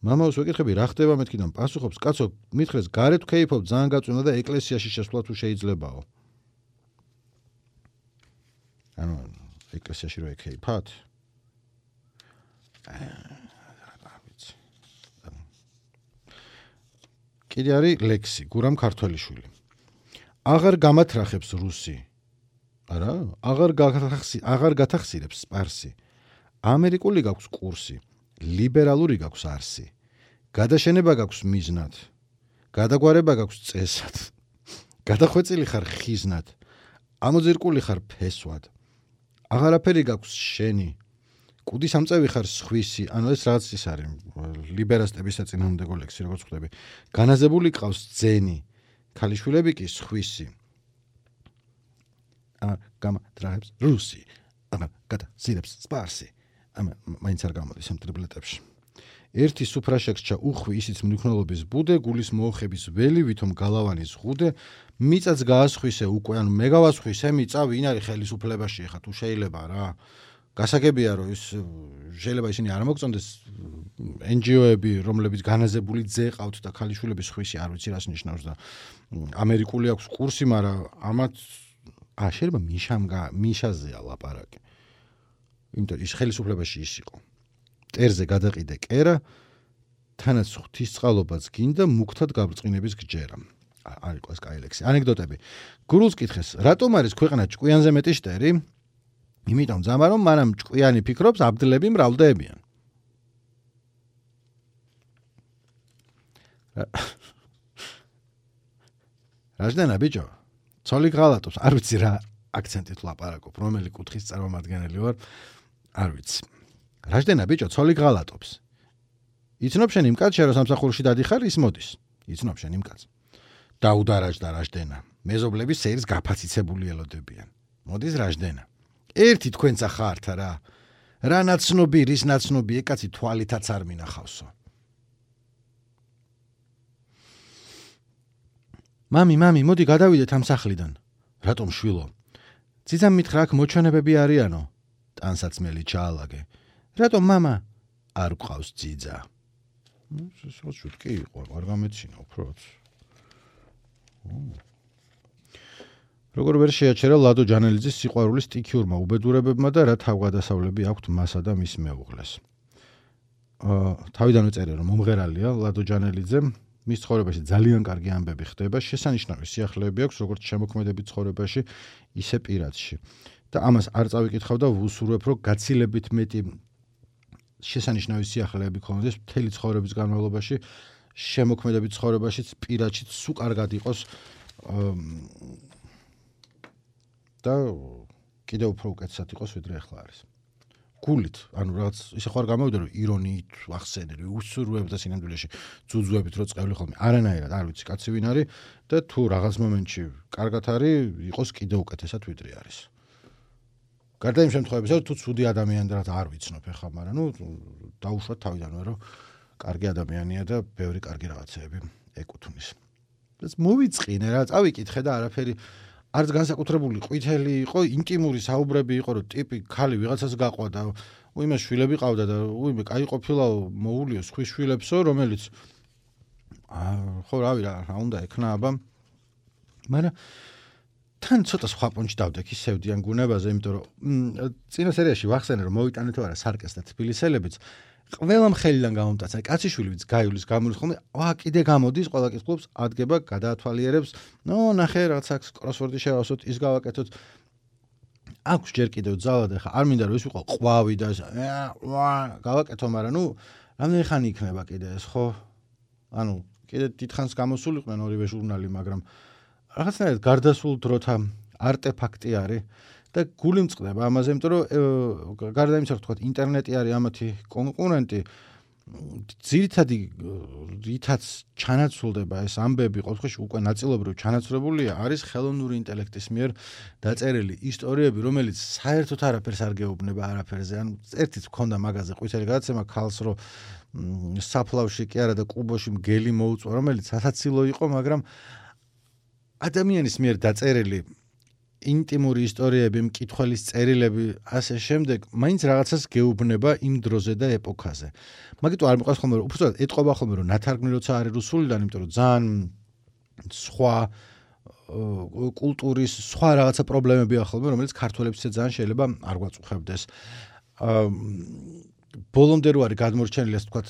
მამაოს ვეკითხები: "რა ხდება მეთქიდან?" პასუხობს: "კაცო, მითხრეს გარეთ ქეიფობ, ძალიან გაწვინა და ეკლესიაში შესვლა თუ შეიძლებაო." ანუ ეკლესიაში რო ეკეიფათ? კიდე არის ლექსი, გურამ ქართველიშვილი. აღარ გამათრახებს რუსი. არა, აღარ გათახსი, აღარ გათახსირებს სპარსი. ამერიკული გაქვს კურსი, ლიბერალური გაქვს არსი. გადაშენება გაქვს მიზნად. გადაგვარება გაქვს წესად. გადახვეწილი ხარ ხიზნად. ამოძირკული ხარ ფესვად. აღარაფერი გაქვს შენი. კუდის ამწევი ხარ სხვისი, ანუ ეს რაც ის არის ლიბერასტების საწინააღმდეგო ლექსი, როგორც ხვდები. განაზებული ყავს ძენი, ქალიშვილები კი სხვისი. აა გამათრახებს რუსი, აა გადაზირებს სპარსი. ამა მაინც არ გამოდის ამ ტრიბლეტებში. ერთი სუფრაშექსჩა უხვი ისიც მნიქნელობის ბუდე, გულის მოუხების ველი, ვითომ გალავანის ღუდე, მიწაც გაასხვისე უკვე, ანუ მე გავასხვისე მიწა, ვინ არის ხელისუფლებაში ხა თუ შეიძლება რა. გასაგებია რომ ის შეიძლება ისინი არ მოგწონდეს ენ ჯი ო-ები, რომლებიც განაზებული ძე ყავთ და ქალიშვილების ხვისი, არ ვიცი რას ნიშნავს და ამერიკული აქვს კურსი, მაგრამ ამათ აა შეიძლება მიშამ მიშაზეა ლაპარაკი. იმიტომ ის ხელისუფლებაში ის იყო. ტერზე გადაყიდე კერა, თანაც ღვთისწყალობაც გინდა მუქთად გაბრწყინების გჯერა. არ იყო ეს კაი ლექსი. ანეკდოტები. გურულს კითხეს, რატომ არის ქვეყანა ჭკვიანზე მეტი შტერი? იმიტომ ძამა რომ მანამ ჭკვიანი ფიქრობს, აბდლები მრავლდებიან. რაჟდენა ბიჭო, ცოლი ღალატობს, არ ვიცი რა აქცენტით ლაპარაკობ, რომელი კუთხის წარმომადგენელი ვარ, არ ვიცი. რაჟდენა ბიჭო, ცოლი ღალატობს. იცნობ შენ იმ კაცს, რომ სამსახურში დადიხარ, ის მოდის. იცნობ შენ იმ კაცს. დაუდარაჯდა რაჟდენა. მეზობლების სეირს გაფაციცებული ელოდებიან. მოდის რაჟდენა. ერთი თქვენცა ხართ რა. რა ნაცნობი, რის ნაცნობი, ეკაცი თვალითაც არ მინახავსო. მამი, მამი, მოდი გადავიდეთ ამ სახლიდან. რატომ შვილო? ძიძამ მითხრა, აქ მოჩვენებები არიანო. ტანსაცმელი ჩაალაგე. რატომ მამა? არ გყავს ძიძა. ეს შუტკი იყო, არ გამეცინა უბრალოდ. როგორ ვერ შეაჩერა ლადო ჯანელიძის სიყვარულის სტიქიურმა უბედურებებმა და რა თავგადასავლები აქვთ მასა და მის მეუღლეს. აა თავიდანვე წერე რომ მომღერალია ლადო ჯანელიძე, მის ცხოვრებაში ძალიან კარგი ამბები ხდება, შესანიშნავი სიახლეები აქვს როგორც შემოქმედებით ცხოვრებაში, ისე პირადში. და ამას არ წავიკითხავ და ვუსურვებ, რომ გაცილებით მეტი შესანიშნავი სიახლეები ქონდეს მთელი ცხოვრების განმავლობაში, შემოქმედებით ცხოვრებაშიც, პირადშიც სულ კარგად იყოს და კიდევ უფრო უკეთესად იყოს, ვიდრე ახლა არის. გულით, ანუ რაღაც ისე ხარ გამოვიდა რომ ირონიით ახსენე, უსურვებ და სინამდვილეში ძუძუებით რო წევლი ხოლმე. არანაირად არ ვიცი კაცი ვინ არის და თუ რაღაც მომენტში კარგად არის, იყოს კიდევ უკეთესად ვიდრე არის. გარდა იმ შემთხვევებისა, თუ ცუდი ადამიანი და არ ვიცნობ ახლა, მაგრამ ნუ დაუშვათ თავიდანვე რომ კარგი ადამიანია და ბევრი კარგი რაღაცეები ეკუთვნის. ეს მოვიწყინე რა, წავიკითხე და არაფერი არც განსაკუთრებული ყვითელი იყო, ინტიმური საუბრები იყო, რომ ტიპი ქალი ვიღაცას გაყვა და უიმე შვილები ყავდა და უიმე კაი ყოფილაო, მოულიო სხვის შვილებსო, რომელიც ხო რავი რა, რა უნდა ექნა აბა. მაგრამ თან ცოტა სხვა პონჩი დავდექი სევდიან გუნებაზე, იმიტომ რომ წინა სერიაში ვახსენე რომ მოვიტანეთ არა სარკეს და თბილისელებიც ყველა ხელიდან გამომტაცა, კაციშვილიც გაივლის გამოდის ხოლმე, ვა კიდე გამოდის, ყველა კითხულობს, ადგება, გადაათვალიერებს, ნო ნახე რაღაც აქ კროსვორდი შევასოთ, ის გავაკეთოთ. აქვს ჯერ კიდევ ძალა და ხა არ მინდა რომ ის ვიყო ყვავი და ვა გავაკეთო, მაგრამ ნუ რამდენი ხანი იქნება კიდე ეს ხო? ანუ კიდე დიდხანს გამოსულიყვნენ ორივე ჟურნალი, მაგრამ რაღაცნაირად გარდასულ დროთა არტეფაქტი არის და გული მწყდება ამაზე, იმიტომ რომ გარდა იმისა, რომ თქვა ინტერნეტი არის ამათი კონკურენტი, ძირითადი რითაც ჩანაცვლდება ეს ამბები, ყოველთვის უკვე ნაწილობრივ ჩანაცვლებულია, არის ხელოვნური ინტელექტის მიერ დაწერილი ისტორიები, რომელიც საერთოდ არაფერს არ გეუბნება არაფერზე. ანუ ერთიც მქონდა მაგაზე ყვითელი გადაცემა ქალს, რომ საფლავში კი არა და კუბოში მგელი მოუწვა, რომელიც ასაცილო იყო, მაგრამ ადამიანის მიერ დაწერილი ინტიმური ისტორიები, მკითხველის წერილები, ასე შემდეგ, მაინც რაღაცას გეუბნება იმ დროზე და ეპოქაზე. მაგიტო არ მიყვარს ხოლმე, უბრალოდ ეტყობა ხოლმე, რომ ნათარგმნი როცა არის რუსულიდან, იმიტომ რომ ძალიან სხვა კულტურის, სხვა რაღაცა პრობლემებია ხოლმე, რომელიც ქართველებსაც ძალიან შეიძლება არ გვაწუხებდეს. ბოლომდე რო არის გადმორჩენილი, ასე ვთქვათ,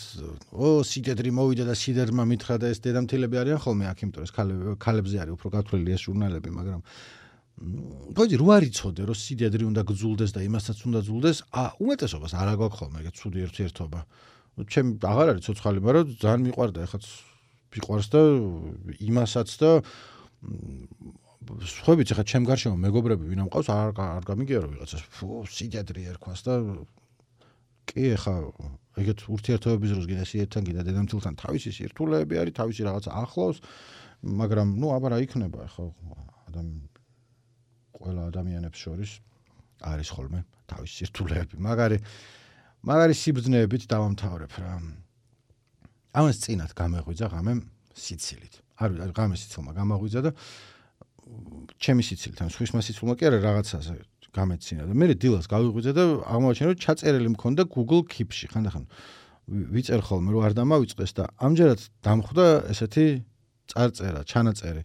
ო, სიდედრი მოვიდა და სიდერმა მითხრა და ეს დედამთილები არიან ხოლმე აქ, იმიტომ რომ ეს ქალებზე არის უფრო გათვლილი ეს ჟურნალები, მაგრამ გოჯი რო არ იცოდე, რომ სიდედრი უნდა გძულდეს და იმასაც უნდა ძულდეს, ა უმეტესობას არ აგვაქვს ხოლმე ეგეთ ცუდი ერთერთობა. ჩემ აღარ არის ცოცხალი, მაგრამ ძალიან მიყვარდა, ეხაც მიყვარს და იმასაც და სხვაებიც ეხა ჩემ გარშემო მეგობრები ვინ ამყავს, არ არ გამიგია რომ ვიღაცას ფუ სიდედრი ერქვას და კი ეხა ეგეთ ურთიერთობების დროს კიდე სიეთთან კიდე დედამთილთან თავისი სირთულეები არის, თავისი რაღაცა ახლავს, მაგრამ ნუ აბა რა იქნება ეხა ადამიან ყველა ადამიანებს შორის არის ხოლმე თავისი სირთულეები. მაგარი მაგარი სიბრძნეებით დავამთავრებ რა. ამას წინათ გამეღვიძა ღამე სიცილით. არ ვიცი, ღამე სიცილმა გამაღვიძა და ჩემი სიცილით, ან სხვისმა სიცილმა კი არა რაღაცაზე გამეცინა და მე დილას გავიღვიძა და აღმოაჩინა რომ ჩაწერილი მქონდა Google Keep-ში. ხანდახან ვიწერ ხოლმე რომ არ დამავიწყდეს და ამჯერად დამხვდა ესეთი წარწერა, ჩანაწერი.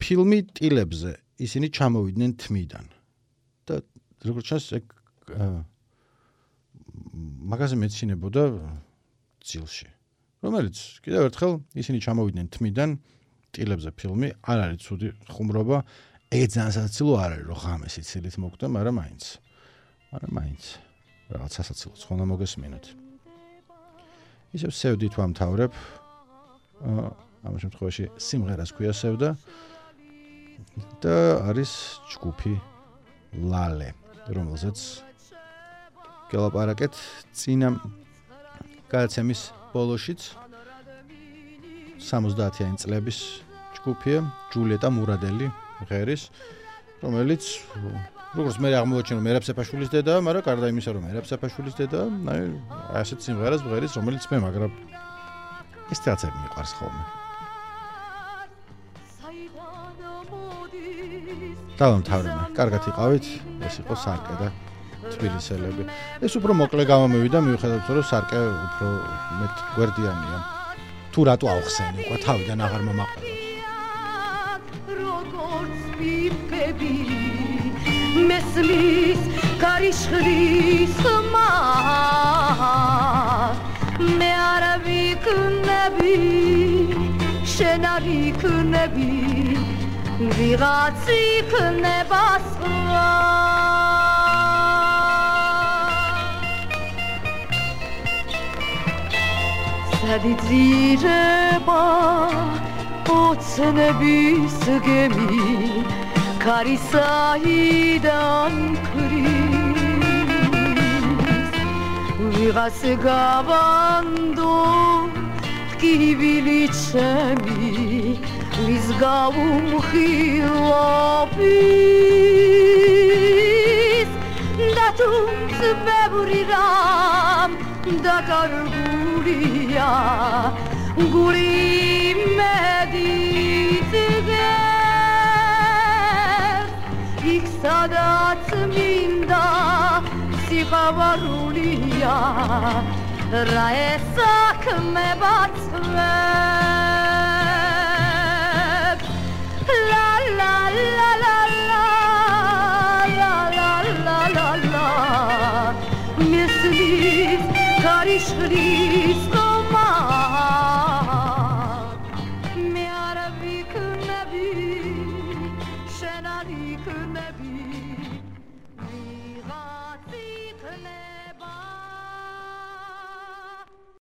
ფილმი ტილებზე ისინი ჩამოვიდნენ თმიდან. და როგორც ჩანს ეგ მაგაზე მეცინებოდა ძილში. რომელიც კიდევ ერთხელ ისინი ჩამოვიდნენ თმიდან ტილებზე ფილმი, არ არის ცუდი ხუმრობა. ეგ ძალიან სასაცილო არ არის, რომ ღამე სიცილით მოკვდა, მაგრამ მაინც. მაგრამ მაინც რაღაც სასაცილოც ხონდა მოგესმინოთ. ისევ სევდით ვამთავრებ. ამ შემთხვევაში სიმღერას ქვია სევდა და არის ჯგუფი ლალე, რომელზეც გელაპარაკეთ წინა გადაცემის ბოლოშიც სამოცდაათიანი წლების ჯგუფია ჯულიეტა მურადელი ღერის, რომელიც როგორც მე აღმოაჩინე მერაბ სეფაშვილის დედაა, მაგრამ გარდა იმისა რომ მერაბ სეფაშვილის დედაა, აი ასეთ სიმღერას ღერის, რომელიც მე მაგრამ ეს თეატრები მიყვარს ხოლმე. დავამთავრებme. კარგად იყავით, ეს იყო სარკე და თბილისელები. ეს უფრო მოკლე გამომივიდა, მიუხედავად რომ სარკე უფრო მეტ გვერდიანია. თუ რატო ავხსენი, უკვე თავიდან აღარ მომაყენოთ. როგორც პიპები მესმის კარიშხლის ხმას მე არ ვიქნები შენ არ იქნები ვიღაც იქნება სხვა სადიძირება ოცნების გემი ქარისაიდან ქრის ვიღაც გავანდო ტკივილი ჩემი ვის გაუმხილობის და თუმც ბევრი რამ დაკარგულია გული მედით იქ სადაც მინდა სიყვარულია რა ესაქმება წვე